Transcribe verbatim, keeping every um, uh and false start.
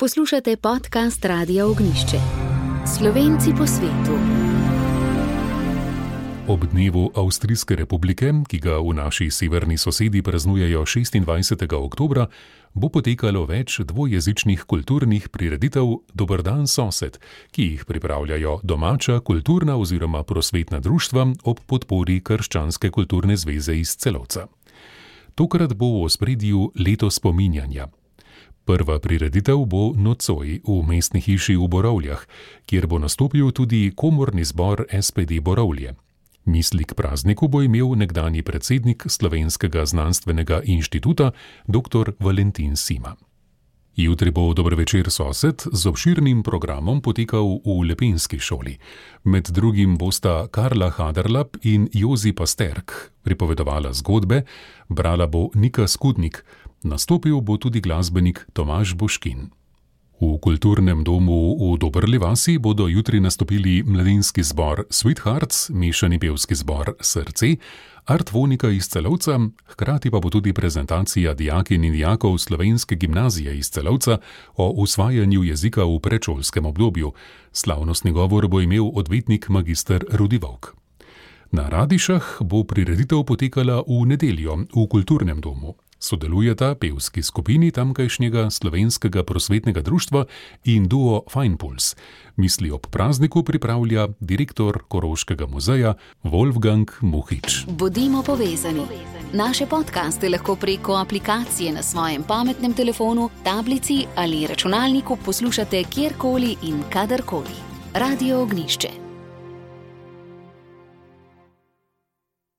Poslušate podcast Radia Ognišče. Slovenci po svetu. Ob dnevu Avstrijske republike, ki ga v naši severni sosedi praznujejo šestindvajsetega oktobra, bo potekalo več dvojezičnih kulturnih prireditev Dober dan sosed, ki jih pripravljajo domača kulturna oziroma prosvetna društva ob podpori Krščanske kulturne zveze iz Celovca. Tokrat bo v ospredju leto spominjanja. Prva prireditev bo nocoj v mestni hiši v Borovljah, kjer bo nastopil tudi komorni zbor es pe de Borovlje. Misli k prazniku bo imel nekdanji predsednik Slovenskega znanstvenega inštituta dr. Valentin Sima. Jutri bo Dober večer sosed z obširnim programom potekal v Lepenski šoli. Med drugim bosta Karla Haderlap in Jozi Pasterk pripovedovala zgodbe, brala bo Nika Skudnik, nastopil bo tudi glasbenik Tomaž Boškin. V kulturnem domu v Dobrli vasi bodo jutri nastopili mladinski zbor Sweethearts, mešani pevski zbor Srce, Artvonika iz Celovca, hkrati pa bo tudi prezentacija dijakinj in dijakov Slovenske gimnazije iz Celovca o usvajanju jezika v predšolskem obdobju. Slavnostni govor bo imel odvetnik magister Rudi Vovk. Na Radišah bo prireditev potekala v nedeljo v kulturnem domu. Sodelujeta pevski skupini tamkajšnjega Slovenskega prosvetnega društva in duo Fajnpuls. Misli ob prazniku pripravlja direktor Koroškega muzeja Wolfgang Muhič. Bodimo povezani. Naše podcaste lahko preko aplikacije na svojem pametnem telefonu, tablici ali računalniku poslušate kjerkoli in kadarkoli. Radio Ognišče.